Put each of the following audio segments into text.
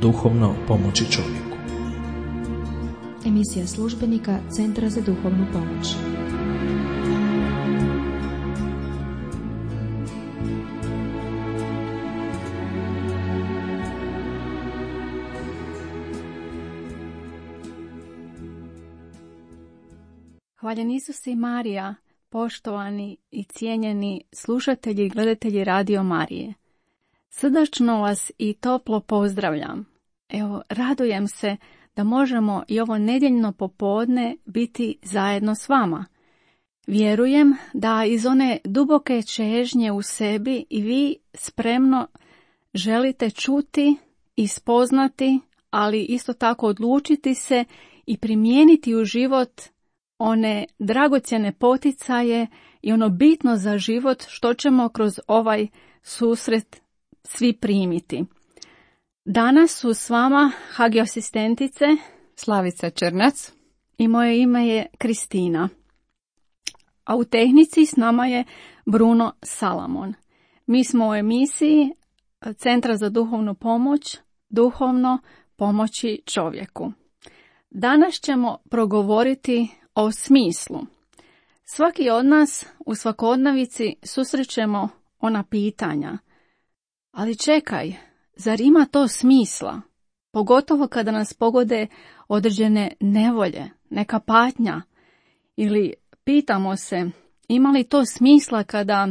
duhovno pomoći čovjeku. Emisija službenika Centra za duhovnu pomoć. Hvaljen Isus i Marija, poštovani i cijenjeni slušatelji i gledatelji Radio Marije. Srdačno vas i toplo pozdravljam. Evo, radujem se da možemo i ovo nedjeljno popodne biti zajedno s vama. Vjerujem da iz one duboke čežnje u sebi i vi spremno želite čuti i spoznati, ali isto tako odlučiti se i primijeniti u život one dragocjene poticaje i ono bitno za život što ćemo kroz ovaj susret svi primiti. Danas su s vama Hagi asistentice Slavica Črnac i moje ime je Kristina. A u tehnici s nama je Bruno Salamon. Mi smo u emisiji Centra za duhovnu pomoć, duhovno pomoći čovjeku. Danas ćemo progovoriti o smislu. Svaki od nas u svakodnevici susrećemo ona pitanja. Ali čekaj, zar ima to smisla? Pogotovo kada nas pogode određene nevolje, neka patnja. Ili pitamo se, ima li to smisla kada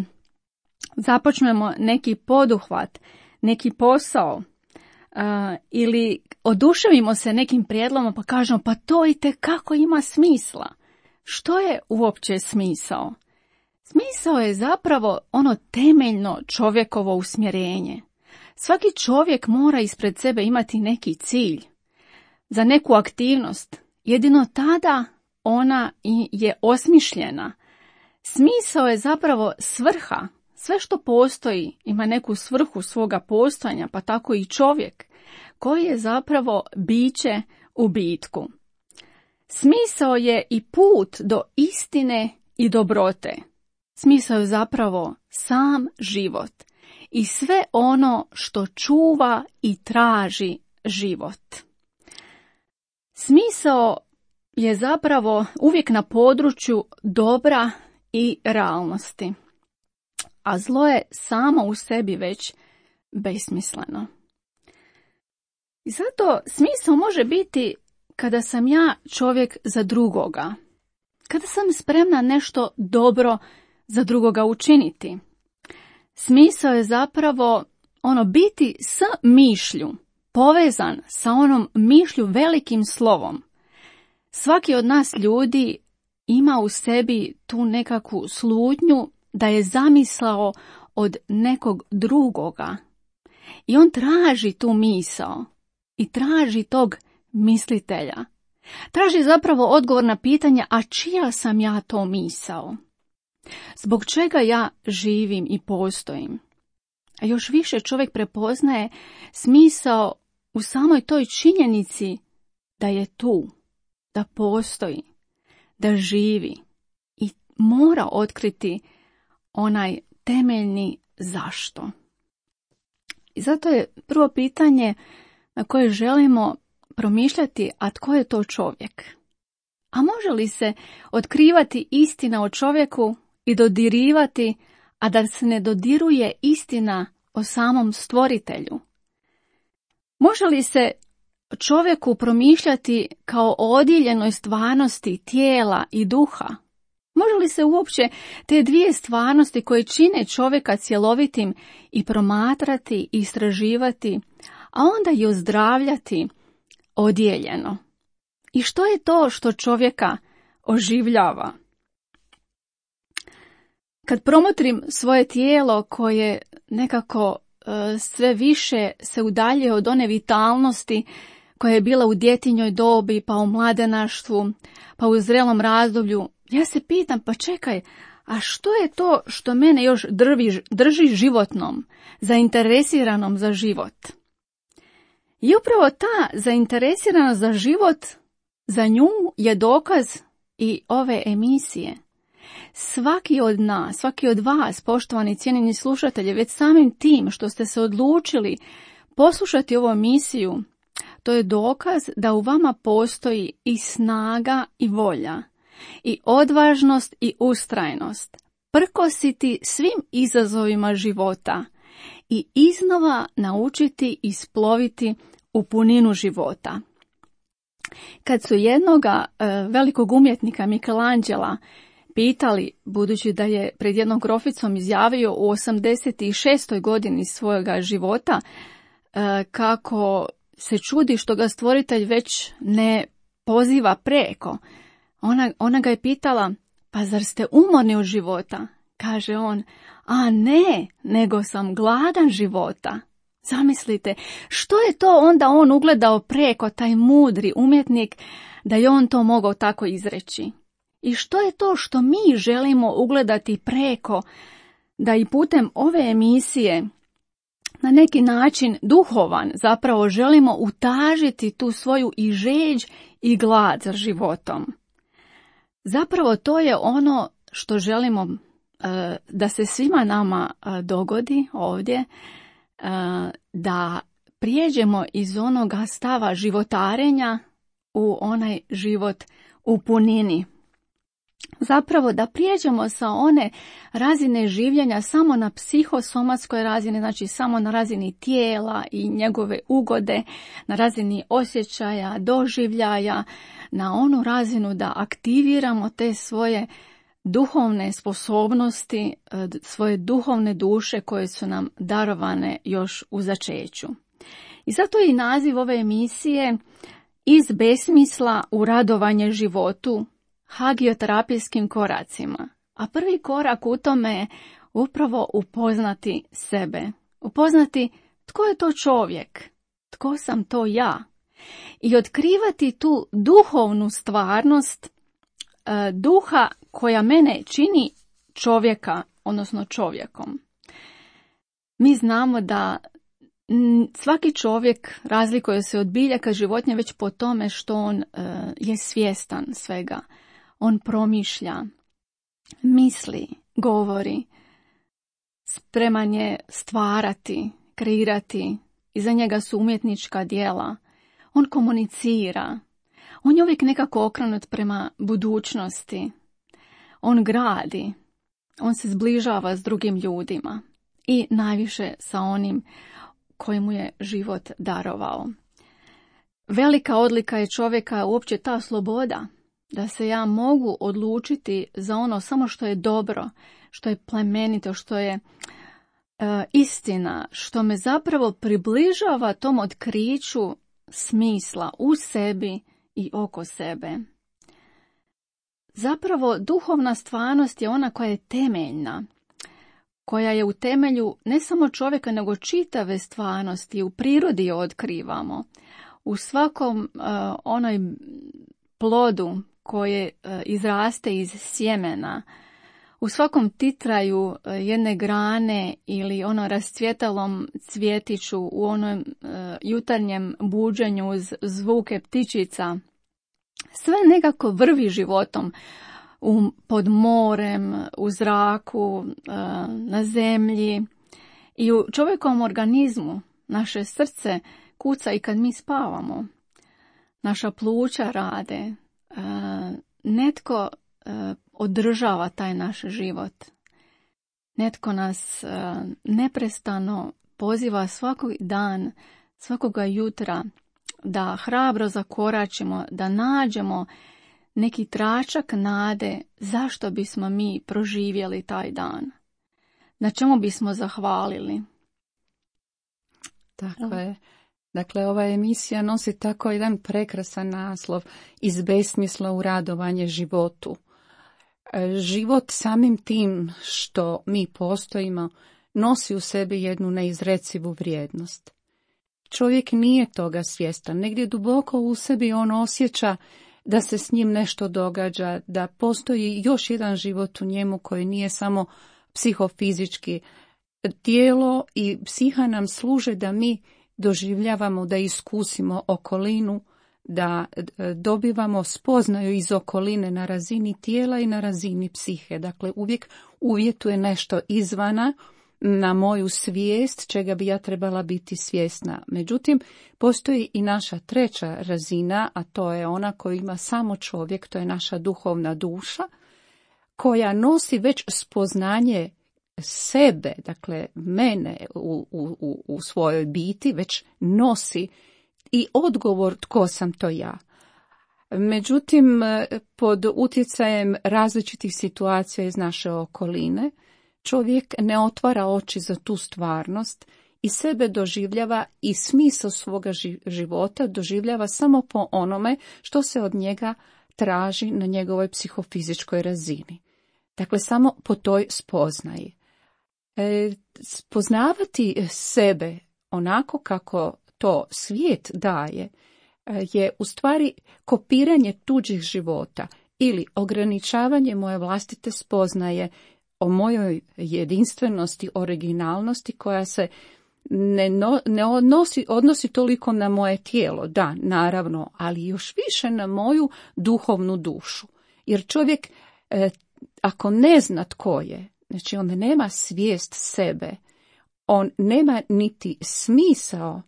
započnemo neki poduhvat, neki posao, ili oduševimo se nekim prijedlogom pa kažemo pa to itekako ima smisla. Što je uopće smisao? Smisao je zapravo ono temeljno čovjekovo usmjerenje. Svaki čovjek mora ispred sebe imati neki cilj za neku aktivnost. Jedino tada ona je osmišljena. Smisao je zapravo svrha. Sve što postoji ima neku svrhu svoga postojanja, pa tako i čovjek, koji je zapravo biće u bitku. Smisao je i put do istine i dobrote. Smisao je zapravo sam život i sve ono što čuva i traži život. Smisao je zapravo uvijek na području dobra i realnosti, a zlo je samo u sebi već besmisleno. I zato smisao može biti kada sam ja čovjek za drugoga, kada sam spremna nešto dobro za drugoga učiniti. Smisao je zapravo biti s mišlju, povezan sa onom mišlju velikim slovom. Svaki od nas ljudi ima u sebi tu nekakvu slutnju da je zamislao od nekog drugoga. I on traži tu misao i traži tog mislitelja. Traži zapravo odgovor na pitanje, a čija sam ja to misao? Zbog čega ja živim i postojim? A još više čovjek prepoznaje smisao u samoj toj činjenici da je tu, da postoji, da živi i mora otkriti onaj temeljni zašto. I zato je prvo pitanje na koje želimo promišljati, a tko je to čovjek? A može li se otkrivati istina o čovjeku i dodirivati, a da se ne dodiruje istina o samom stvoritelju? Može li se čovjeku promišljati kao o odjeljenoj stvarnosti tijela i duha? Može li se uopće te dvije stvarnosti koje čine čovjeka cjelovitim i promatrati i istraživati, a onda i ozdravljati odijeljeno? I što je to što čovjeka oživljava? Kad promotrim svoje tijelo koje nekako sve više se udaljuje od one vitalnosti koja je bila u djetinjoj dobi, pa u mladenaštvu, pa u zrelom razdoblju, ja se pitam, pa čekaj, a što je to što mene još drži životnom, zainteresiranom za život? I upravo ta zainteresiranost za život, za nju je dokaz i ove emisije. Svaki od nas, svaki od vas, poštovani cijenjeni slušatelji, već samim tim što ste se odlučili poslušati ovu emisiju, To je dokaz da u vama postoji i snaga i volja, i odvažnost i ustrajnost, prkositi svim izazovima života i iznova naučiti isploviti u puninu života. Kad su jednoga velikog umjetnika Michelangela pitali, budući da je pred jednom groficom izjavio u 86. godini svojega života kako se čudi što ga stvoritelj već ne poziva preko. Ona ga je pitala, pa zar ste umorni od života? Kaže on, a ne, nego sam gladan života. Zamislite, što je to onda on ugledao preko, taj mudri umjetnik, da je on to mogao tako izreći? I što je to što mi želimo ugledati preko, da i putem ove emisije na neki način duhovan zapravo želimo utažiti tu svoju i žeđ i glad za životom? Zapravo to je ono što želimo da se svima nama dogodi ovdje, da prijeđemo iz onoga stava životarenja u onaj život u punini. Zapravo da prijeđemo sa one razine življenja samo na psihosomatskoj razini, znači samo na razini tijela i njegove ugode, na razini osjećaja, doživljaja, na onu razinu da aktiviramo te svoje duhovne sposobnosti, svoje duhovne duše koje su nam darovane još u začeću. I zato je i naziv ove emisije Iz besmisla u radovanje životu, hagioterapijskim koracima. A prvi korak u tome je upravo upoznati sebe. Upoznati tko je to čovjek, tko sam to ja. I otkrivati tu duhovnu stvarnost duha koja mene čini čovjeka, odnosno čovjekom. Mi znamo da svaki čovjek razlikuje se od biljaka životinja već po tome što on je svjestan svega. On promišlja, misli, govori, spreman je stvarati, kreirati, iza njega su umjetnička djela. On komunicira, on je uvijek nekako okrenut prema budućnosti. On gradi, on se zbližava s drugim ljudima i najviše sa onim koji mu je život darovao. Velika odlika je čovjeka uopće ta sloboda, da se ja mogu odlučiti za ono samo što je dobro, što je plemenito, što je istina, što me zapravo približava tom otkriću smisla u sebi i oko sebe. Zapravo duhovna stvarnost je ona koja je temeljna, koja je u temelju ne samo čovjeka nego čitave stvarnosti, u prirodi je otkrivamo. U svakom onoj plodu koje izraste iz sjemena, u svakom titraju jedne grane ili ono rascvjetalom cvjetiću, u onom jutarnjem buđenju uz zvuke ptičica, sve nekako vrvi životom pod morem, u zraku, na zemlji i u čovjekovom organizmu. Naše srce kuca i kad mi spavamo. Naša pluća rade. Netko održava taj naš život. Netko nas neprestano poziva svakog dan, svakoga jutra da hrabro zakoračimo, da nađemo neki tračak nade zašto bismo mi proživjeli taj dan. Na čemu bismo zahvalili. Tako je. Dakle, ova emisija nosi tako jedan prekrasan naslov, Iz besmisla u radovanje životu. Život samim tim što mi postojimo nosi u sebi jednu neizrecivu vrijednost. Čovjek nije toga svjestan. Negdje duboko u sebi on osjeća da se s njim nešto događa, da postoji još jedan život u njemu koji nije samo psihofizički. Tijelo i psiha nam služe da mi doživljavamo, da iskusimo okolinu, da dobivamo spoznaju iz okoline na razini tijela i na razini psihe. Dakle, uvijek uvjetuje nešto izvana na moju svijest čega bi ja trebala biti svjesna. Međutim, postoji i naša treća razina, a to je ona koju ima samo čovjek, to je naša duhovna duša, koja nosi već spoznanje sebe, dakle mene u svojoj biti, već nosi i odgovor tko sam to ja. Međutim, pod utjecajem različitih situacija iz naše okoline, čovjek ne otvara oči za tu stvarnost i sebe doživljava i smisao svoga života doživljava samo po onome što se od njega traži na njegovoj psihofizičkoj razini. Dakle, samo po toj spoznaji. Spoznavati sebe onako kako to svijet daje je u stvari kopiranje tuđih života ili ograničavanje moje vlastite spoznaje o mojoj jedinstvenosti, originalnosti koja se ne odnosi toliko na moje tijelo, da, naravno, ali još više na moju duhovnu dušu. Jer čovjek, ako ne zna tko je, znači on nema svijest sebe, on nema niti smisao.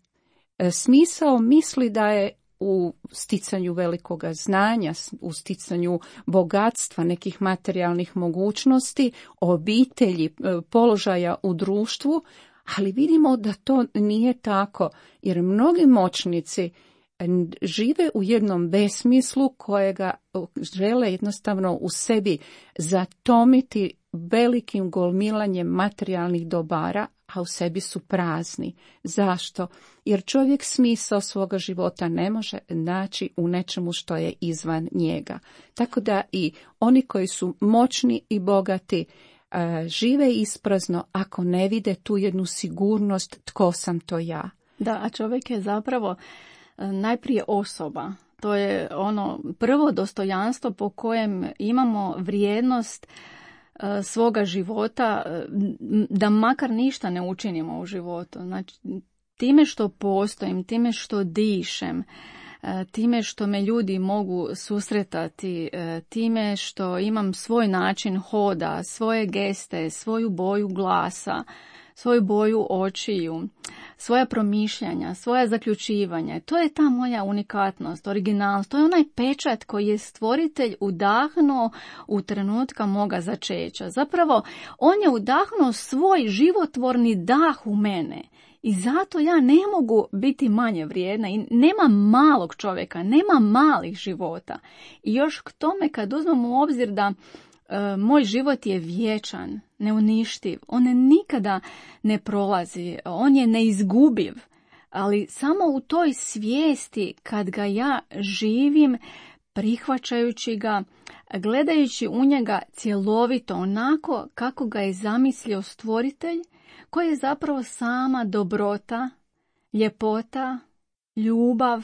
Smisao misli da je u sticanju velikoga znanja, u sticanju bogatstva, nekih materijalnih mogućnosti, obitelji, položaja u društvu, ali vidimo da to nije tako, jer mnogi moćnici žive u jednom besmislu kojega žele jednostavno u sebi zatomiti velikim gomilanjem materijalnih dobara, a u sebi su prazni. Zašto? Jer čovjek smisao svoga života ne može naći u nečemu što je izvan njega. Tako da i oni koji su moćni i bogati žive isprazno ako ne vide tu jednu sigurnost tko sam to ja. Da, a čovjek je zapravo najprije osoba. To je ono prvo dostojanstvo po kojem imamo vrijednost svoga života, da makar ništa ne učinimo u životu. Znači, time što postojim, time što dišem, time što me ljudi mogu susretati, time što imam svoj način hoda, svoje geste, svoju boju glasa, svoju boju očiju, svoja promišljanja, svoja zaključivanja. To je ta moja unikatnost, originalnost. To je onaj pečat koji je stvoritelj udahnuo u trenutka moga začeća. Zapravo, on je udahnuo svoj životvorni dah u mene. I zato ja ne mogu biti manje vrijedna i nema malog čovjeka, nema malih života. I još k tome kad uzmemo u obzir da moj život je vječan, neuništiv, on nikada ne prolazi, on je neizgubiv, ali samo u toj svijesti kad ga ja živim, prihvaćajući ga, gledajući u njega cjelovito onako kako ga je zamislio stvoritelj, koji je zapravo sama dobrota, ljepota, ljubav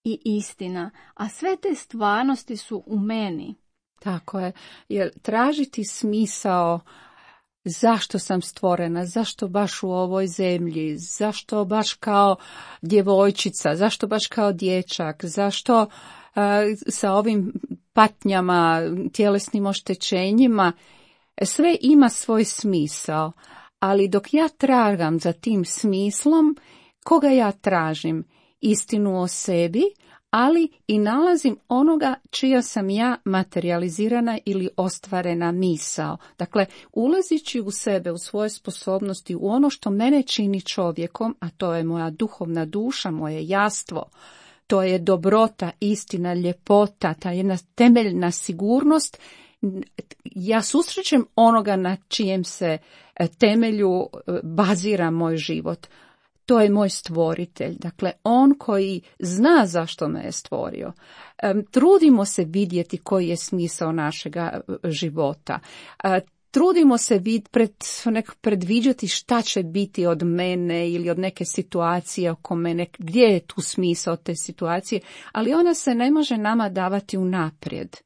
i istina, a sve te stvarnosti su u meni. Tako je, jer tražiti smisao zašto sam stvorena, zašto baš u ovoj zemlji, zašto baš kao djevojčica, zašto baš kao dječak, zašto sa ovim patnjama, tjelesnim oštećenjima, sve ima svoj smisao, ali dok ja tragam za tim smislom, koga ja tražim? Istinu o sebi, ali i nalazim onoga čija sam ja materializirana ili ostvarena misao. Dakle, ulazići u sebe, u svoje sposobnosti, u ono što mene čini čovjekom, a to je moja duhovna duša, moje jastvo, to je dobrota, istina, ljepota, ta jedna temeljna sigurnost, ja susrećem onoga na čijem se temelju bazira moj život. To je moj stvoritelj, dakle on koji zna zašto me je stvorio. Trudimo se vidjeti koji je smisao našega života. Trudimo se predviđati šta će biti od mene ili od neke situacije oko mene, gdje je tu smisao te situacije, ali ona se ne može nama davati unaprijed.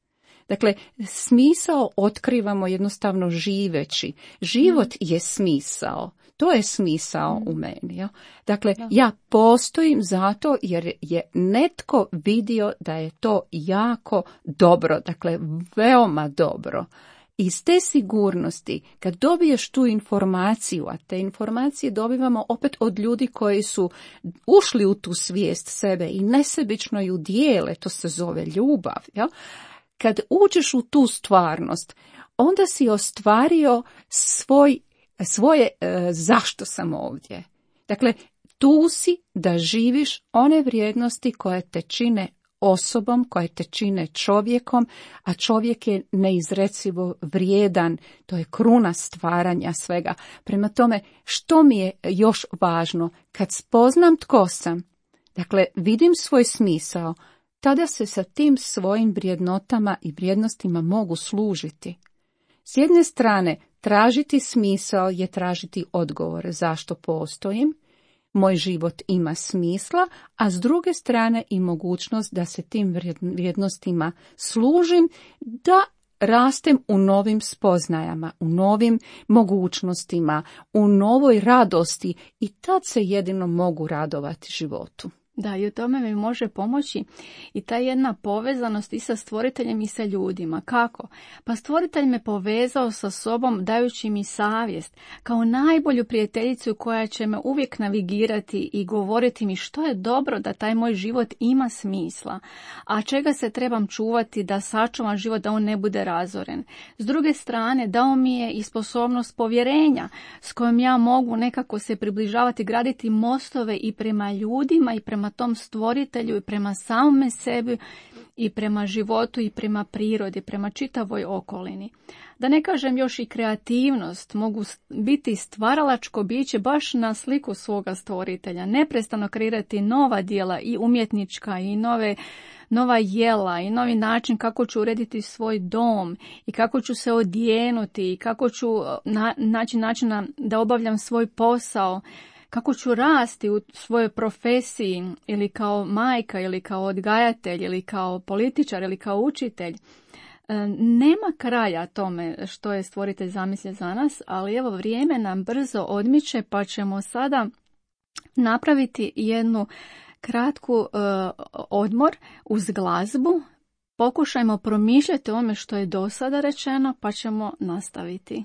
Dakle, smisao otkrivamo jednostavno živeći. Život je smisao. To je smisao u meni. Ja? Dakle, ja postojim zato jer je netko vidio da je to jako dobro, dakle veoma dobro. Iz te sigurnosti, kad dobiješ tu informaciju, a te informacije dobivamo opet od ljudi koji su ušli u tu svijest sebe i nesebično ju dijele, to se zove ljubav. Jel? Kad uđeš u tu stvarnost, onda si ostvario svoje zašto sam ovdje. Dakle, tu si da živiš one vrijednosti koje te čine osobom, koje te čine čovjekom, a čovjek je neizrecivo vrijedan, to je kruna stvaranja svega. Prema tome, što mi je još važno? Kad spoznam tko sam, dakle, vidim svoj smisao, tada se sa tim svojim vrijednotama i vrijednostima mogu služiti. S jedne strane, tražiti smisao je tražiti odgovore zašto postojim, moj život ima smisla, a s druge strane i mogućnost da se tim vrijednostima služim, da rastem u novim spoznajama, u novim mogućnostima, u novoj radosti i tad se jedino mogu radovati životu. Da, i u tome mi može pomoći i ta jedna povezanost i sa stvoriteljem i sa ljudima. Kako? Pa stvoritelj me povezao sa sobom dajući mi savjest kao najbolju prijateljicu koja će me uvijek navigirati i govoriti mi što je dobro da taj moj život ima smisla, a čega se trebam čuvati da sačuvam život da on ne bude razoren. S druge strane, dao mi je i sposobnost povjerenja s kojom ja mogu nekako se približavati, graditi mostove i prema ljudima i prema tom stvoritelju i prema samome sebi i prema životu i prema prirodi, prema čitavoj okolini. Da ne kažem još i kreativnost, mogu biti stvaralačko biće baš na sliku svoga stvoritelja, neprestano kreirati nova djela i umjetnička i nova jela i novi način kako ću urediti svoj dom i kako ću se odjenuti i kako ću naći načina da obavljam svoj posao, kako ću rasti u svojoj profesiji ili kao majka ili kao odgajatelj ili kao političar ili kao učitelj. Nema kraja tome što je stvoritelj zamislio za nas, ali evo vrijeme nam brzo odmiče pa ćemo sada napraviti jednu kratku odmor uz glazbu. Pokušajmo promišljati o ome što je do sada rečeno pa ćemo nastaviti.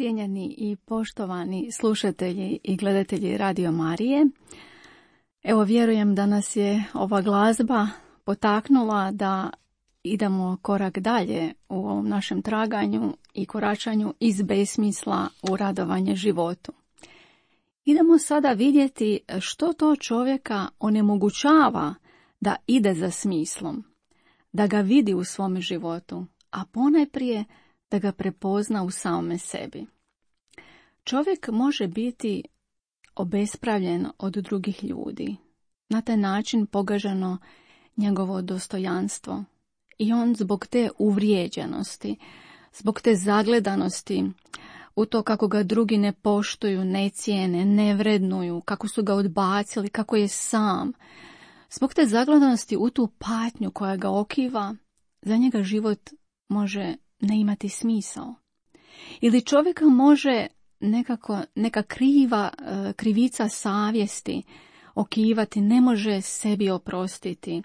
Cijenjeni i poštovani slušatelji i gledatelji Radio Marije, evo vjerujem da nas je ova glazba potaknula da idemo korak dalje u ovom našem traganju i koračanju iz besmisla u radovanje životu. Idemo sada vidjeti što to čovjeka onemogućava da ide za smislom, da ga vidi u svome životu, a ponajprije da ga prepozna u samome sebi. Čovjek može biti obespravljen od drugih ljudi, na taj način pogaženo njegovo dostojanstvo i on zbog te uvrijeđenosti, zbog te zagledanosti u to kako ga drugi ne poštuju, ne cijene, ne vrednuju, kako su ga odbacili, kako je sam, zbog te zagledanosti u tu patnju koja ga okiva, za njega život može ne imati smisao. Ili čovjeka može neka krivica savjesti okivati, ne može sebi oprostiti,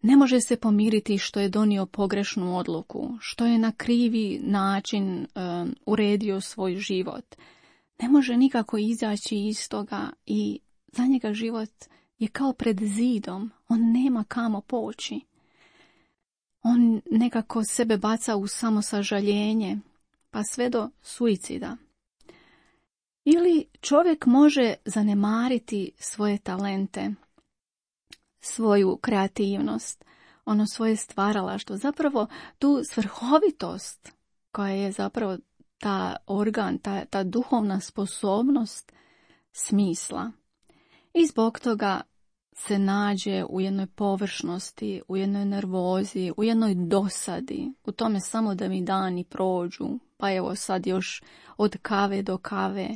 ne može se pomiriti što je donio pogrešnu odluku, što je na krivi način uredio svoj život. Ne može nikako izaći iz toga i za njega život je kao pred zidom, on nema kamo poći. On nekako sebe baca u samosažaljenje, pa sve do suicida. Ili čovjek može zanemariti svoje talente, svoju kreativnost, svoje stvaralaštvo, zapravo tu svrhovitost koja je zapravo ta organ, ta duhovna sposobnost smisla. I zbog toga se nađe u jednoj površnosti, u jednoj nervozi, u jednoj dosadi, u tome samo da mi dani prođu, pa evo sad još od kave do kave,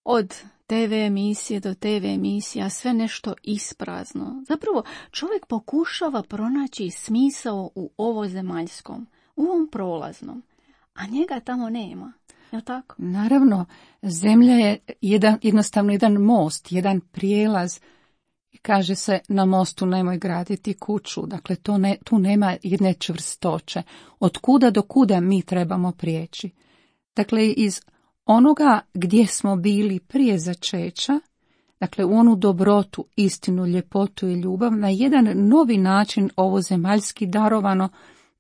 od TV emisije do TV emisija, sve nešto isprazno. Zapravo čovjek pokušava pronaći smisao u ovozemaljskom, u ovom prolaznom, a njega tamo nema. Je li tako? Naravno, zemlja je jednostavno jedan most, jedan prijelaz. Kaže se na mostu nemoj graditi kuću, dakle tu nema jedne čvrstoće. Od kuda do kuda mi trebamo prijeći? Dakle, iz onoga gdje smo bili prije začeća, dakle u onu dobrotu, istinu, ljepotu i ljubav, na jedan novi način ovozemaljski darovano,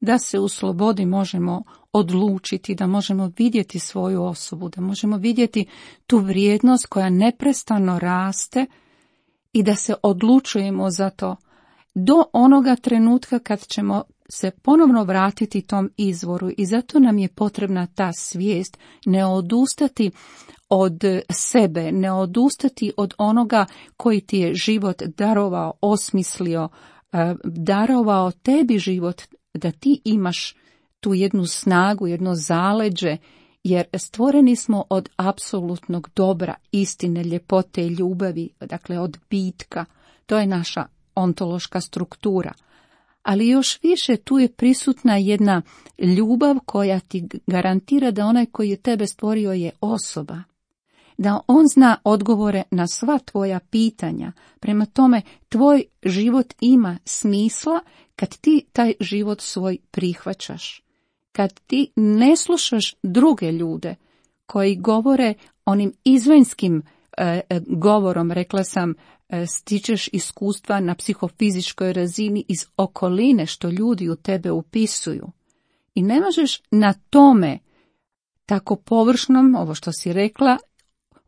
da se u slobodi možemo odlučiti, da možemo vidjeti svoju osobu, da možemo vidjeti tu vrijednost koja neprestano raste i da se odlučujemo za to do onoga trenutka kad ćemo se ponovno vratiti tom izvoru. I zato nam je potrebna ta svijest, ne odustati od sebe, ne odustati od onoga koji ti je život darovao, osmislio, darovao tebi život, da ti imaš tu jednu snagu, jedno zaleđe, jer stvoreni smo od apsolutnog dobra, istine, ljepote i ljubavi, dakle od bitka. To je naša ontološka struktura. Ali još više tu je prisutna jedna ljubav koja ti garantira da onaj koji je tebe stvorio je osoba. Da on zna odgovore na sva tvoja pitanja. Prema tome, tvoj život ima smisla kad ti taj život svoj prihvaćaš. Kad ti ne slušaš druge ljude koji govore onim izvanjskim govorom, rekla sam, stičeš iskustva na psihofizičkoj razini iz okoline što ljudi u tebe upisuju. I ne možeš na tome tako površnom, ovo što si rekla,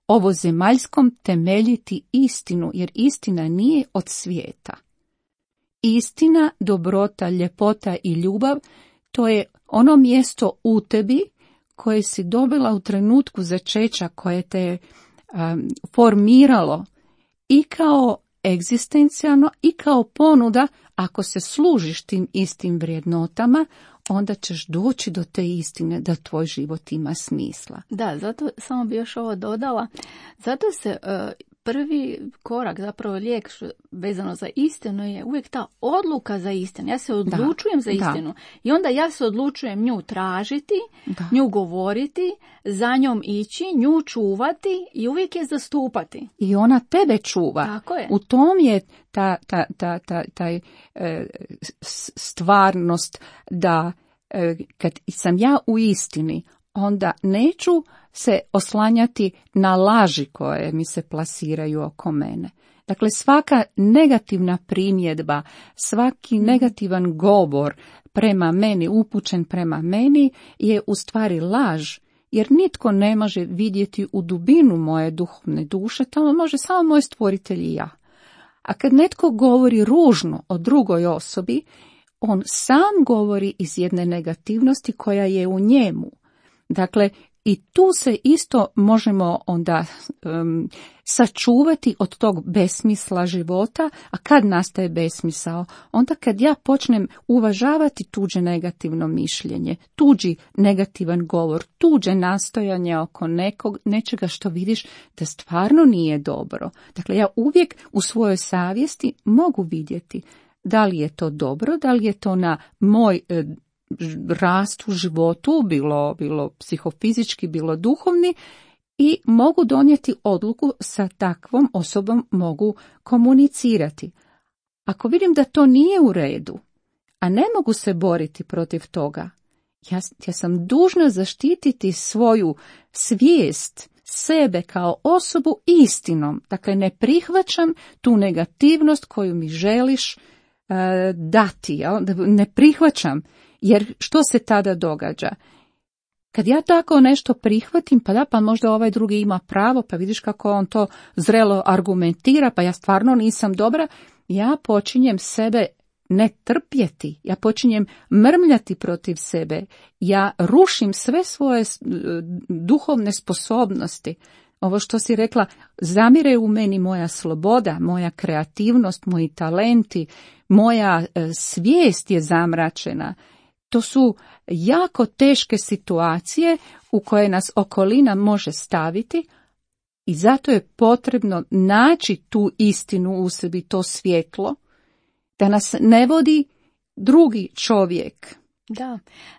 ovozemaljskom temeljiti istinu, jer istina nije od svijeta. Istina, dobrota, ljepota i ljubav, to je ono mjesto u tebi koje si dobila u trenutku začeća, koje te je formiralo i kao egzistencijalno i kao ponuda. Ako se služiš tim istim vrijednotama, onda ćeš doći do te istine da tvoj život ima smisla. Da, zato samo bi još ovo dodala. Zato se prvi korak, zapravo lijek vezano za istinu je uvijek ta odluka za istinu. Ja se odlučujem za istinu i onda ja se odlučujem nju tražiti, nju govoriti, za njom ići, nju čuvati i uvijek je zastupati. I ona tebe čuva. Tako je. U tom je taj stvarnost da kad sam ja u istini, onda neću se oslanjati na laži koje mi se plasiraju oko mene. Dakle, svaka negativna primjedba, svaki negativan govor prema meni, upućen prema meni, je u stvari laž, jer nitko ne može vidjeti u dubinu moje duhovne duše, tamo može samo moj stvoritelj i ja. A kad netko govori ružno o drugoj osobi, on sam govori iz jedne negativnosti koja je u njemu. Dakle, i tu se isto možemo onda sačuvati od tog besmisla života. A kad nastaje besmisao? Onda kad ja počnem uvažavati tuđe negativno mišljenje, tuđi negativan govor, tuđe nastojanje oko nečega što vidiš da stvarno nije dobro. Dakle, ja uvijek u svojoj savjesti mogu vidjeti da li je to dobro, da li je to na moj rast u životu, bilo psihofizički, bilo duhovni, i mogu donijeti odluku sa takvom osobom, mogu komunicirati. Ako vidim da to nije u redu, a ne mogu se boriti protiv toga, ja sam dužna zaštititi svoju svijest, sebe kao osobu istinom. Dakle, ne prihvaćam tu negativnost koju mi želiš dati, ne prihvaćam. Jer što se tada događa? Kad ja tako nešto prihvatim, pa možda ovaj drugi ima pravo, pa vidiš kako on to zrelo argumentira, pa ja stvarno nisam dobra, ja počinjem sebe ne trpjeti, ja počinjem mrmljati protiv sebe, ja rušim sve svoje duhovne sposobnosti. Ovo što si rekla, zamire u meni moja sloboda, moja kreativnost, moji talenti, moja svijest je zamračena. To su jako teške situacije u koje nas okolina može staviti i zato je potrebno naći tu istinu u sebi, to svjetlo, da nas ne vodi drugi čovjek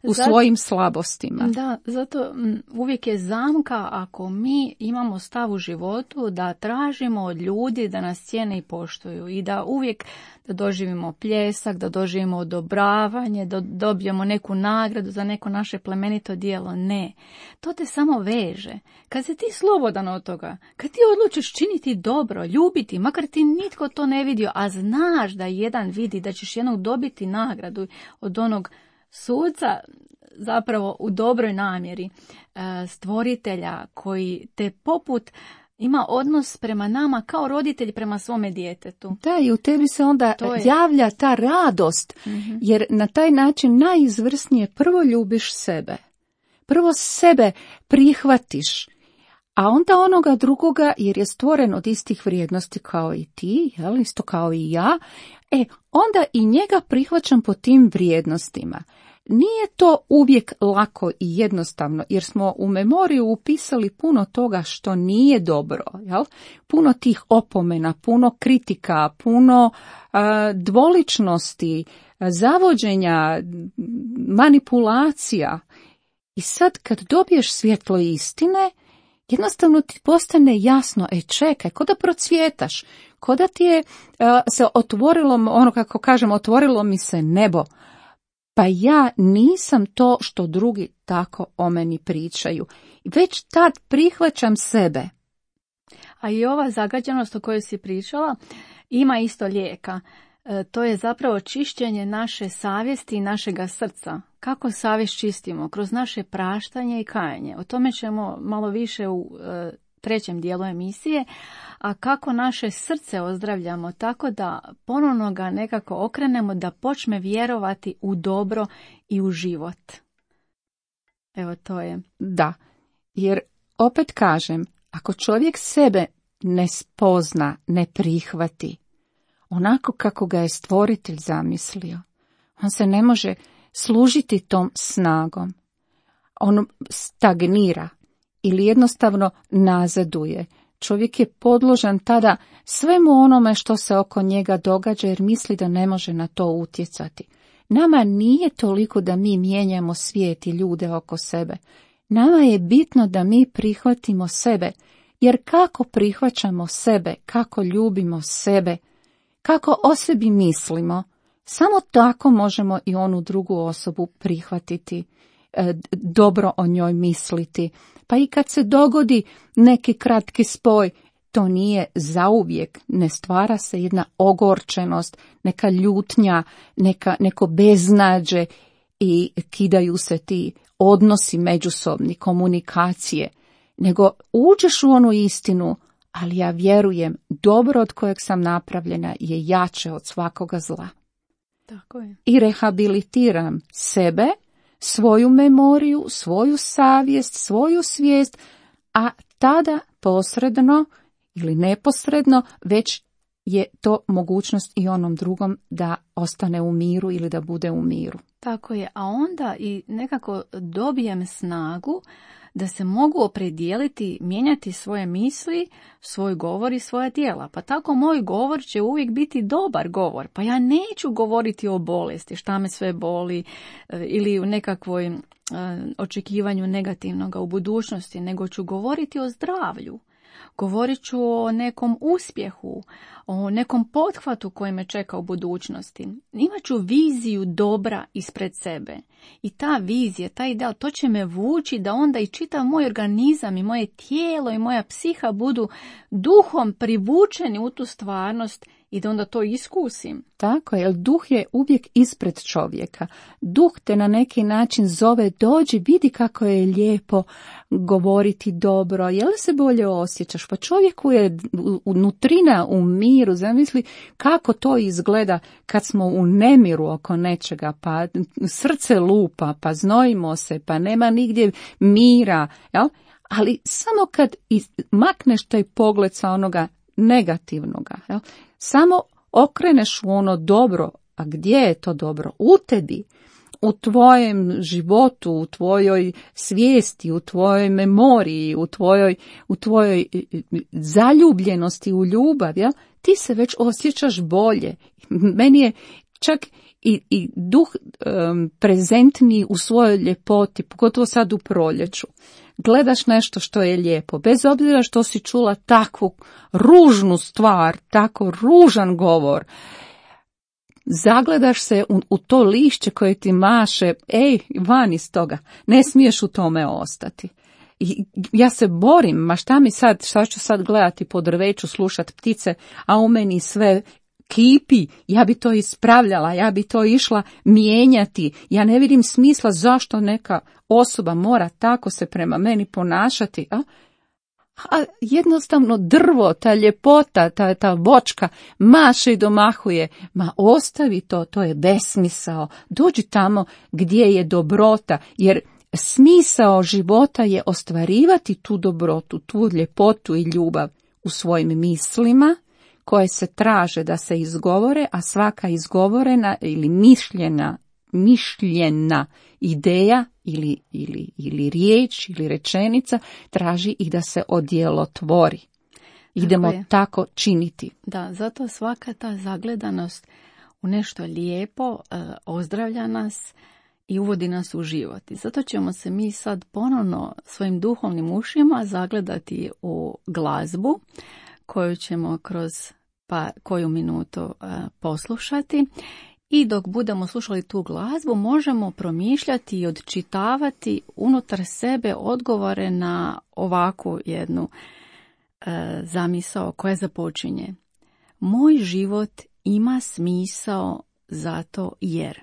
u svojim slabostima. Da, zato uvijek je zamka ako mi imamo stav u životu da tražimo od ljudi da nas cijene i poštuju i da uvijek da doživimo pljesak, da doživimo odobravanje, da dobijemo neku nagradu za neko naše plemenito djelo. Ne, to te samo veže. Kad si ti slobodan od toga, kad ti odlučiš činiti dobro, ljubiti, makar ti nitko to ne vidio, a znaš da jedan vidi da ćeš jednog dobiti nagradu od onog suca, zapravo u dobroj namjeri, stvoritelja koji te poput ima odnos prema nama kao roditelj prema svome djetetu. Da, i u tebi se onda javlja ta radost, jer na taj način najizvrsnije prvo ljubiš sebe. Prvo sebe prihvatiš, a onda onoga drugoga, jer je stvoren od istih vrijednosti kao i ti, isto kao i ja, onda i njega prihvaćam po tim vrijednostima. Nije to uvijek lako i jednostavno, jer smo u memoriju upisali puno toga što nije dobro, puno tih opomena, puno kritika, puno dvoličnosti, zavođenja, manipulacija. I sad kad dobiješ svjetlo istine, jednostavno ti postane jasno, čekaj, ko da procvjetaš, ko da ti je se otvorilo, kako kažem, otvorilo mi se nebo. Pa ja nisam to što drugi tako o meni pričaju. Već tad prihvaćam sebe. A i ova zagađenost o kojoj si pričala ima isto lijeka. To je zapravo čišćenje naše savjesti i našega srca. Kako savjest čistimo? Kroz naše praštanje i kajanje. O tome ćemo malo više u trećem dijelu emisije. A kako naše srce ozdravljamo tako da ponovno ga nekako okrenemo da počne vjerovati u dobro i u život. Evo to je. Da, jer opet kažem, ako čovjek sebe ne spozna, ne prihvati, onako kako ga je stvoritelj zamislio, on se ne može služiti tom snagom. On stagnira ili jednostavno nazaduje. Čovjek je podložan tada svemu onome što se oko njega događa jer misli da ne može na to utjecati. Nama nije toliko da mi mijenjamo svijet i ljude oko sebe. Nama je bitno da mi prihvatimo sebe, jer kako prihvaćamo sebe, kako ljubimo sebe, kako o sebi mislimo, samo tako možemo i onu drugu osobu prihvatiti dobro o njoj misliti. Pa i kad se dogodi neki kratki spoj, to nije zauvijek, ne stvara se jedna ogorčenost, neka ljutnja, neko beznađe i kidaju se ti odnosi međusobni, komunikacije, nego uđeš u onu istinu, ali ja vjerujem, dobro od kojeg sam napravljena je jače od svakoga zla. Tako je. I rehabilitiram sebe, svoju memoriju, svoju savjest, svoju svijest, a tada posredno ili neposredno već je to mogućnost i onom drugom da ostane u miru ili da bude u miru. Tako je, a onda i nekako dobijem snagu da se mogu opredijeliti, mijenjati svoje misli, svoj govor i svoja djela. Pa tako moj govor će uvijek biti dobar govor. Pa ja neću govoriti o bolesti, šta me sve boli ili u nekakvoj očekivanju negativnoga u budućnosti, nego ću govoriti o zdravlju. Govorit ću o nekom uspjehu, o nekom pothvatu koji me čeka u budućnosti. Imat ću viziju dobra ispred sebe. I ta vizija, taj ideal, to će me vući da onda i čitav moj organizam i moje tijelo i moja psiha budu duhom privučeni u tu stvarnost i da onda to iskusim. Tako je, jer duh je uvijek ispred čovjeka. Duh te na neki način zove, dođi, vidi kako je lijepo govoriti dobro, je li se bolje osjećaš? Pa čovjeku je unutrina u miru, zamisli kako to izgleda kad smo u nemiru oko nečega, pa srce lupa, pa znojimo se, pa nema nigdje mira, jel? Ali samo kad makneš taj pogled sa onoga negativnoga, jel? Samo okreneš u ono dobro, a gdje je to dobro? U tebi, u tvojem životu, u tvojoj svijesti, u tvojoj memoriji, u tvojoj zaljubljenosti u ljubav, ja? Ti se već osjećaš bolje. Meni je čak i duh prezentniji u svojoj ljepoti, pogotovo sad u proljeću. Gledaš nešto što je lijepo, bez obzira što si čula takvu ružnu stvar, tako ružan govor, zagledaš se u to lišće koje ti maše, van iz toga, ne smiješ u tome ostati. I ja se borim, ma šta ću sad gledati po drveću, slušat ptice, a u meni sve kipi, ja bi to ispravljala, ja bi to išla mijenjati, ja ne vidim smisla zašto neka osoba mora tako se prema meni ponašati, a jednostavno drvo, ta ljepota, ta voćka maše i domahuje, ma ostavi to je besmisao, dođi tamo gdje je dobrota, jer smisao života je ostvarivati tu dobrotu, tu ljepotu i ljubav u svojim mislima, koje se traže da se izgovore, a svaka izgovorena ili mišljena ideja ili riječ ili rečenica traži i da se odjelotvori. Idemo tako činiti. Da, zato svaka ta zagledanost u nešto lijepo ozdravlja nas i uvodi nas u život. I zato ćemo se mi sad ponovno svojim duhovnim ušima zagledati u glazbu koju ćemo kroz koju minutu poslušati. I dok budemo slušali tu glazbu, možemo promišljati i odčitavati unutar sebe odgovore na ovakvu jednu zamisao koja započinje. Moj život ima smisao zato jer.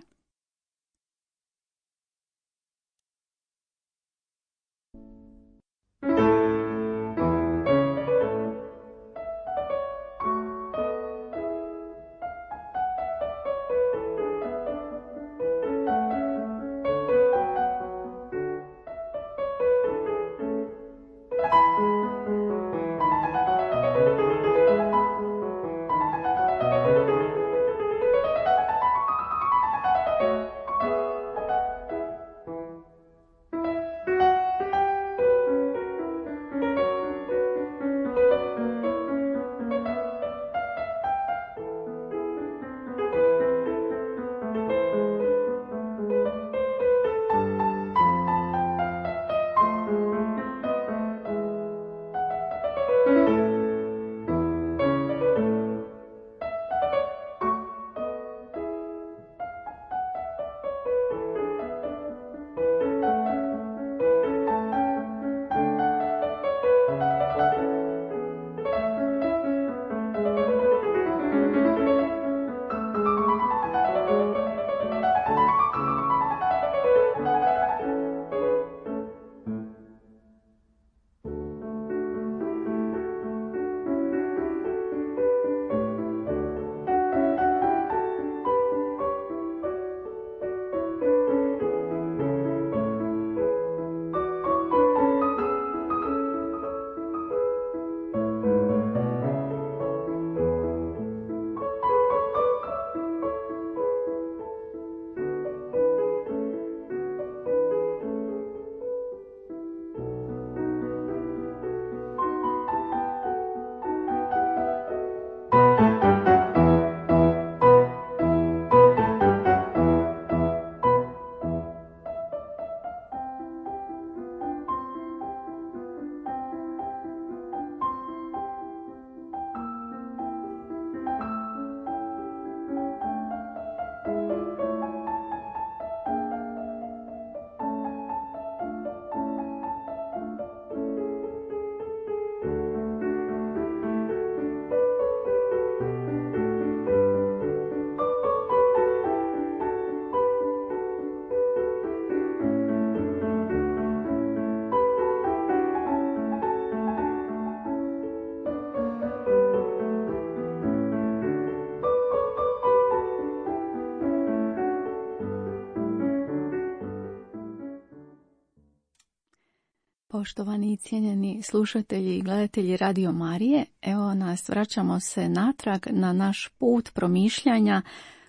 Poštovani i cijenjeni slušatelji i gledatelji Radio Marije, evo nas, vraćamo se natrag na naš put promišljanja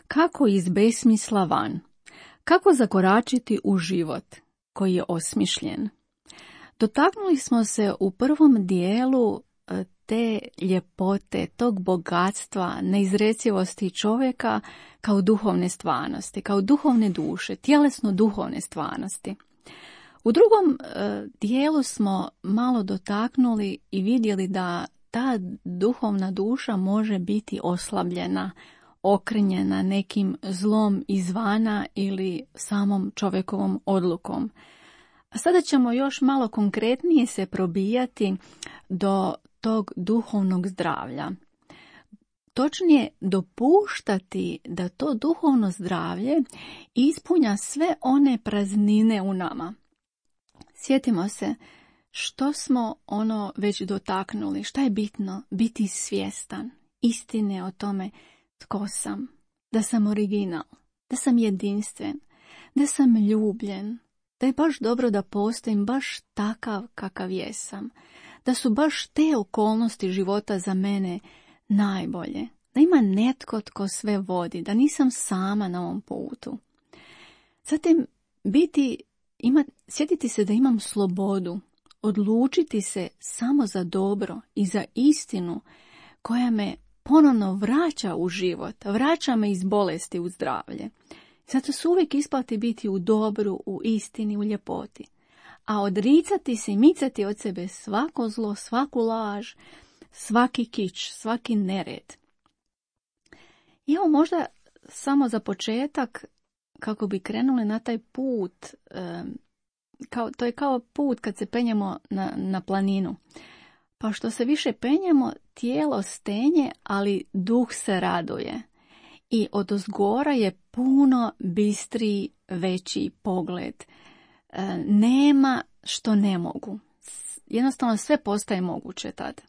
kako iz besmisla van, kako zakoračiti u život koji je osmišljen. Dotaknuli smo se u prvom dijelu te ljepote, tog bogatstva, neizrecivosti čovjeka kao duhovne stvarnosti, kao duhovne duše, tjelesno-duhovne stvarnosti. U drugom dijelu smo malo dotaknuli i vidjeli da ta duhovna duša može biti oslabljena, okrnjena nekim zlom izvana ili samom čovjekovom odlukom. A sada ćemo još malo konkretnije se probijati do tog duhovnog zdravlja. Točnije, dopuštati da to duhovno zdravlje ispunja sve one praznine u nama. Sjetimo se što smo već dotaknuli, šta je bitno, biti svjestan istine o tome tko sam, da sam original, da sam jedinstven, da sam ljubljen, da je baš dobro da postojim baš takav kakav jesam, da su baš te okolnosti života za mene najbolje, da ima netko tko sve vodi, da nisam sama na ovom putu. Zatim sjetiti se da imam slobodu, odlučiti se samo za dobro i za istinu koja me ponovno vraća u život, vraća me iz bolesti u zdravlje. Zato se uvijek isplati biti u dobru, u istini, u ljepoti. A odricati se i micati od sebe svako zlo, svaku laž, svaki kič, svaki nered. I evo možda samo za početak, kako bi krenuli na taj put, to je kao put kad se penjemo na planinu. Pa što se više penjemo, tijelo stenje, ali duh se raduje. I odozgora je puno bistriji, veći pogled. Nema što ne mogu. Jednostavno sve postaje moguće tad.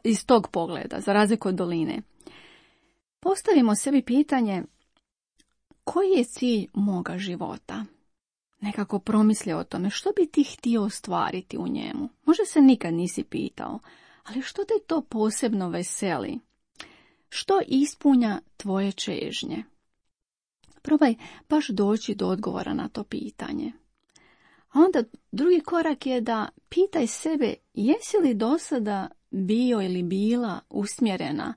Iz tog pogleda, za razliku od doline. Postavimo sebi pitanje, koji je cilj moga života? Nekako promisli o tome, što bi ti htio ostvariti u njemu? Možda se nikad nisi pitao, ali što te to posebno veseli? Što ispunja tvoje čežnje? Probaj baš doći do odgovora na to pitanje. A onda drugi korak je da pitaj sebe, jesi li do sada bio ili bila usmjerena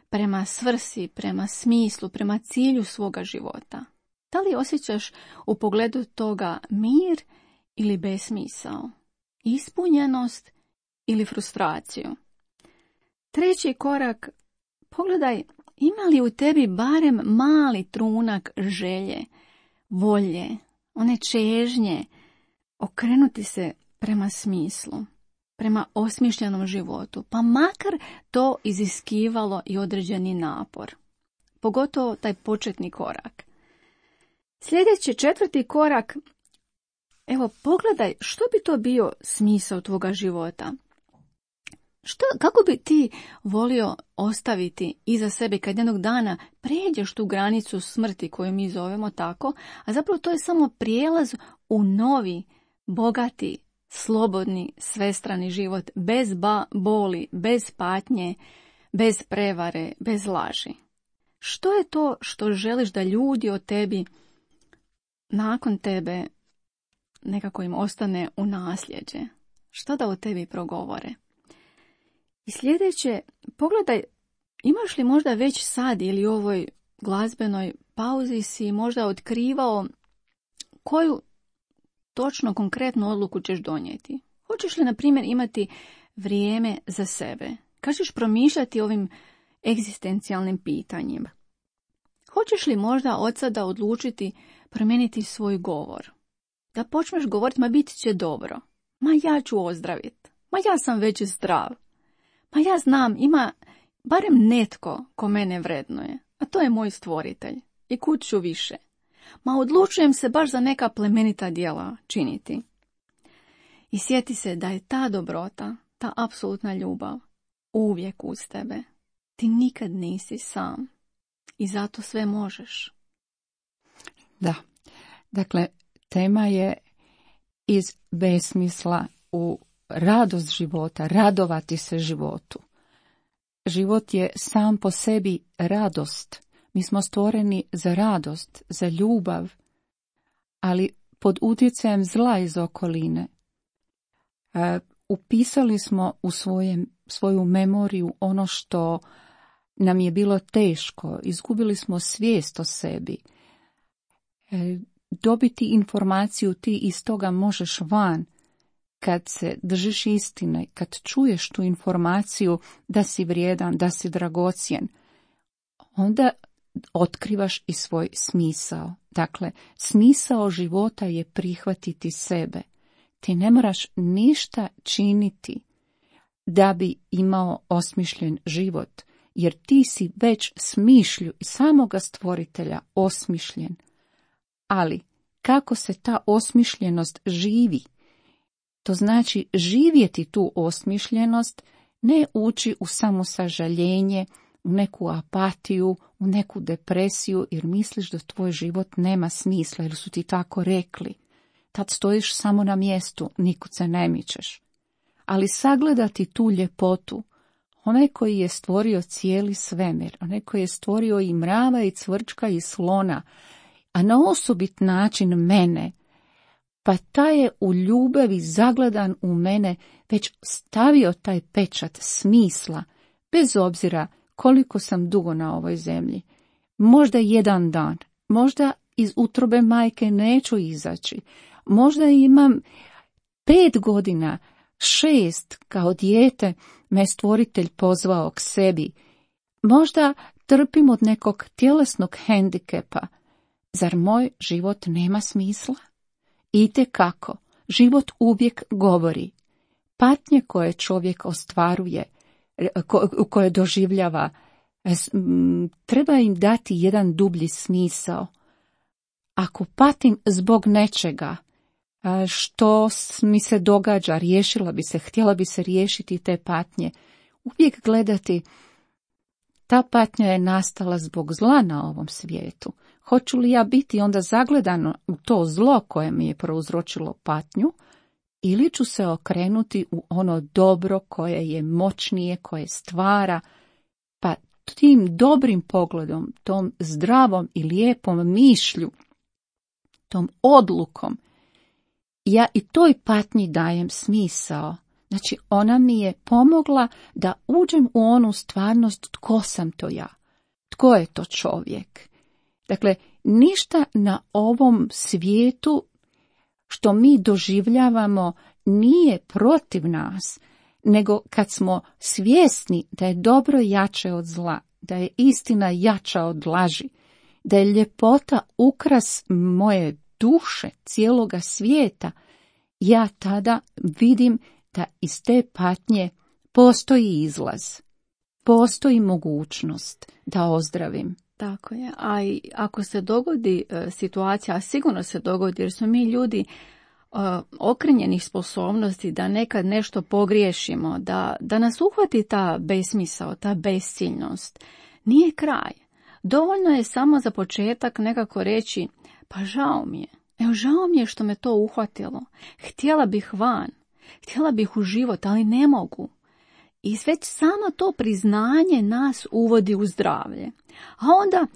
prema svrsi, prema smislu, prema cilju svoga života? Da li osjećaš u pogledu toga mir ili besmisao, ispunjenost ili frustraciju? Treći korak, pogledaj ima li u tebi barem mali trunak želje, volje, one čežnje, okrenuti se prema smislu, prema osmišljenom životu, pa makar to iziskivalo i određeni napor. Pogotovo taj početni korak. Sljedeći, četvrti korak, evo pogledaj što bi to bio smisao tvoga života. Kako bi ti volio ostaviti iza sebe kad jednog dana pređeš tu granicu smrti koju mi zovemo tako, a zapravo to je samo prijelaz u novi, bogati, slobodni, svestrani život, bez boli, bez patnje, bez prevare, bez laži. Što je to što želiš da ljudi o tebi nakon tebe nekako im ostane u nasljeđe? Što da o tebi progovore? I sljedeće, pogledaj, imaš li možda već sad ili u ovoj glazbenoj pauzi si možda otkrivao koju točno konkretnu odluku ćeš donijeti? Hoćeš li, na primjer, imati vrijeme za sebe? Kad ćeš promišljati ovim egzistencijalnim pitanjima? Hoćeš li možda od sada odlučiti promijeniti svoj govor? Da počneš govoriti, ma bit će dobro. Ma ja ću ozdraviti. Ma ja sam već zdrav. Ma ja znam, ima barem netko ko mene vrednuje, a to je moj stvoritelj. I kud ću više. Ma odlučujem se baš za neka plemenita djela činiti. I sjeti se da je ta dobrota, ta apsolutna ljubav uvijek uz tebe. Ti nikad nisi sam. I zato sve možeš. Da. Dakle, tema je iz besmisla u radost života, radovati se životu. Život je sam po sebi radost. Mi smo stvoreni za radost, za ljubav, ali pod utjecajem zla iz okoline. Upisali smo u svoju memoriju ono što nam je bilo teško, izgubili smo svijest o sebi. Dobiti informaciju ti iz toga možeš van, kad se držiš istine, kad čuješ tu informaciju da si vrijedan, da si dragocjen, onda otkrivaš i svoj smisao. Dakle, smisao života je prihvatiti sebe. Ti ne moraš ništa činiti da bi imao osmišljen život, jer ti si već smišlju i samoga stvoritelja osmišljen. Ali, kako se ta osmišljenost živi? To znači živjeti tu osmišljenost, ne ući u samosažaljenje, u neku apatiju, u neku depresiju, jer misliš da tvoj život nema smisla, jer su ti tako rekli. Tad stojiš samo na mjestu, nikud se ne mičeš. Ali sagledati tu ljepotu, onaj koji je stvorio cijeli svemir, onaj koji je stvorio i mrava i cvrčka i slona, a na osobit način mene, pa taj je u ljubavi zagledan u mene već stavio taj pečat smisla, bez obzira koliko sam dugo na ovoj zemlji. Možda jedan dan, možda iz utrobe majke neću izaći, možda imam 5 godina, 6 kao dijete me stvoritelj pozvao k sebi, možda trpim od nekog tjelesnog hendikepa. Zar moj život nema smisla? Itekako, život uvijek govori. Patnje koje čovjek ostvaruje, koje doživljava, treba im dati jedan dublji smisao. Ako patim zbog nečega što mi se događa, htjela bi se riješiti te patnje, uvijek gledati, ta patnja je nastala zbog zla na ovom svijetu. Hoću li ja biti onda zagledano u to zlo koje mi je prouzročilo patnju, ili ću se okrenuti u ono dobro koje je moćnije, koje stvara, pa tim dobrim pogledom, tom zdravom i lijepom mišlju, tom odlukom, ja i toj patnji dajem smisao. Znači, ona mi je pomogla da uđem u onu stvarnost tko sam to ja, tko je to čovjek. Dakle, ništa na ovom svijetu što mi doživljavamo nije protiv nas, nego kad smo svjesni da je dobro jače od zla, da je istina jača od laži, da je ljepota ukras moje duše, cijeloga svijeta, ja tada vidim da iz te patnje postoji izlaz, postoji mogućnost da ozdravim. Tako je, a i ako se dogodi situacija, a sigurno se dogodi jer smo mi ljudi okrenjenih sposobnosti da nekad nešto pogriješimo, da nas uhvati ta besmisao, ta besciljnost, nije kraj. Dovoljno je samo za početak nekako reći, pa žao mi je, žao mi je što me to uhvatilo, htjela bih van, htjela bih u život, ali ne mogu. I već samo to priznanje nas uvodi u zdravlje. A onda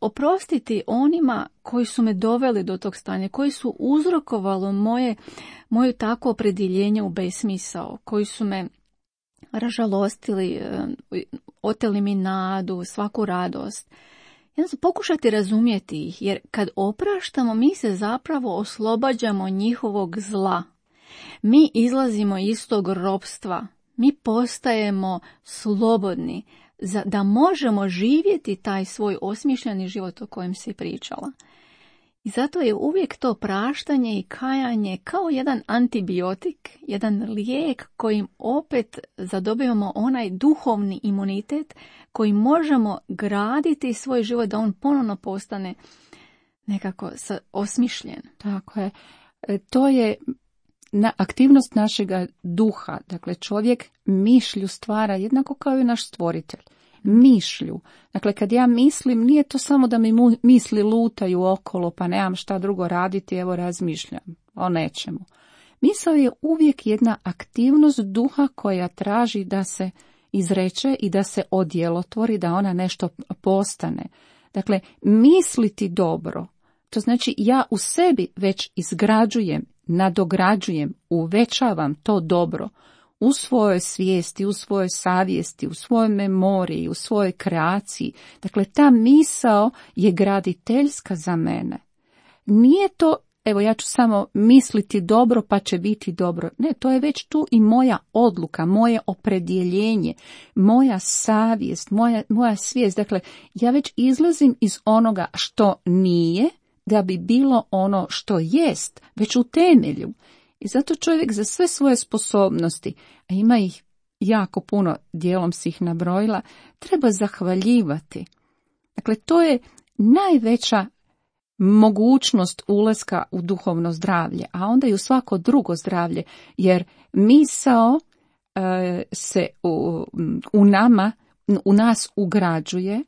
oprostiti onima koji su me doveli do tog stanja, koji su uzrokovalo moje takvo opredjeljenje u besmisao, koji su me ražalostili, oteli mi nadu, svaku radost. Pokušati razumjeti ih, jer kad opraštamo, mi se zapravo oslobađamo njihovog zla. Mi izlazimo iz tog ropstva, mi postajemo slobodni da možemo živjeti taj svoj osmišljeni život o kojem si pričala. I zato je uvijek to praštanje i kajanje kao jedan antibiotik, jedan lijek kojim opet zadobivamo onaj duhovni imunitet koji možemo graditi svoj život da on ponovno postane nekako osmišljen. Tako je. To je aktivnost našega duha. Dakle, čovjek mišlju stvara jednako kao i naš stvoritelj. Mišlju. Dakle, kad ja mislim, nije to samo da mi misli lutaju okolo, pa nemam šta drugo raditi, evo razmišljam o nečemu. Misao je uvijek jedna aktivnost duha koja traži da se izreče i da se odjelotvori, da ona nešto postane. Dakle, misliti dobro, to znači ja u sebi već izgrađujem, nadograđujem, uvećavam to dobro u svojoj svijesti, u svojoj savjesti, u svojoj memoriji, u svojoj kreaciji. Dakle, ta misao je graditeljska za mene. Nije to, evo ja ću samo misliti dobro pa će biti dobro. Ne, to je već tu i moja odluka, moje opredjeljenje, moja savjest, moja svijest. Dakle, ja već izlazim iz onoga što nije da bi bilo ono što jest, već u temelju. I zato čovjek za sve svoje sposobnosti, a ima ih jako puno, dijelom si ih nabrojila, treba zahvaljivati. Dakle, to je najveća mogućnost ulaska u duhovno zdravlje, a onda i u svako drugo zdravlje, jer misao se u nas ugrađuje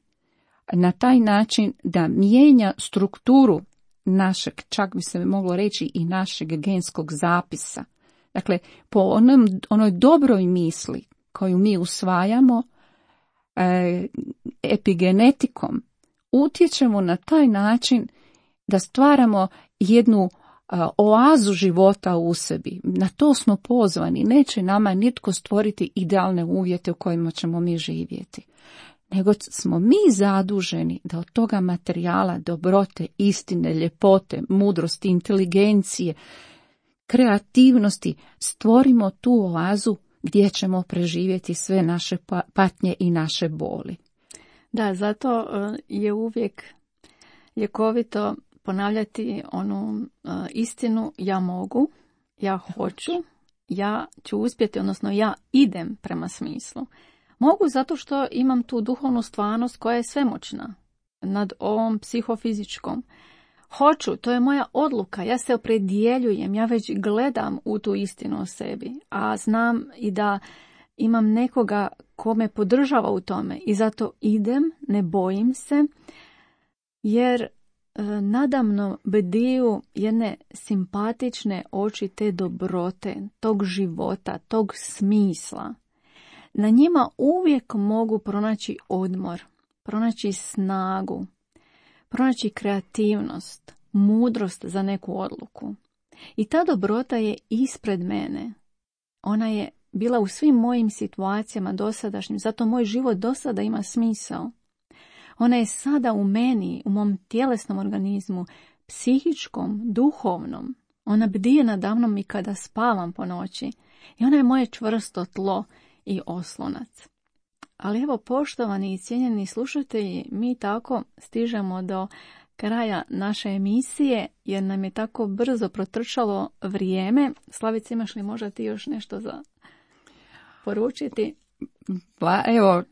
na taj način da mijenja strukturu našeg, čak bi se moglo reći i našeg genskog zapisa. Dakle, po onoj dobroj misli koju mi usvajamo epigenetikom, utječemo na taj način da stvaramo jednu oazu života u sebi. Na to smo pozvani. Neće nama nitko stvoriti idealne uvjete u kojima ćemo mi živjeti. Nego smo mi zaduženi da od toga materijala, dobrote, istine, ljepote, mudrosti, inteligencije, kreativnosti stvorimo tu oazu gdje ćemo preživjeti sve naše patnje i naše boli. Da, zato je uvijek ljekovito ponavljati onu istinu: ja mogu, ja hoću, ja ću uspjeti, odnosno ja idem prema smislu. Mogu zato što imam tu duhovnu stvarnost koja je svemoćna nad ovom psihofizičkom. Hoću, to je moja odluka, ja se opredjeljujem, ja već gledam u tu istinu o sebi, a znam i da imam nekoga ko me podržava u tome i zato idem, ne bojim se, jer nadamno bediju jedne simpatične oči te dobrote, tog života, tog smisla. Na njima uvijek mogu pronaći odmor, pronaći snagu, pronaći kreativnost, mudrost za neku odluku. I ta dobrota je ispred mene. Ona je bila u svim mojim situacijama dosadašnjim, zato moj život dosada ima smisao. Ona je sada u meni, u mom tjelesnom organizmu, psihičkom, duhovnom. Ona bdije nadamnom i kada spavam po noći. I ona je moje čvrsto tlo i oslonac. Ali evo, poštovani i cijenjeni slušatelji, mi tako stižemo do kraja naše emisije, jer nam je tako brzo protrčalo vrijeme. Slavice, imaš li možda ti još nešto za poručiti? Pa evo,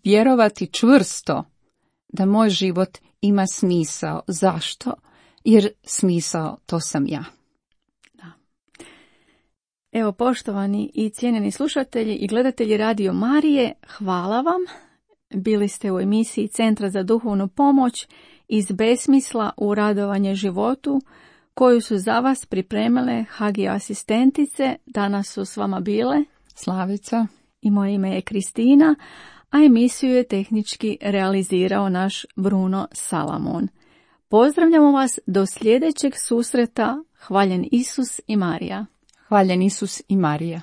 vjerovati čvrsto da moj život ima smisao. Zašto? Jer smisao to sam ja. Evo, poštovani i cijenjeni slušatelji i gledatelji Radio Marije, hvala vam. Bili ste u emisiji Centra za duhovnu pomoć iz besmisla u radovanje životu, koju su za vas pripremile Hagio asistentice. Danas su s vama bile Slavica i moje ime je Kristina, a emisiju je tehnički realizirao naš Bruno Salamon. Pozdravljamo vas do sljedećeg susreta. Hvaljen Isus i Marija. Hvaljen Isus i Marija.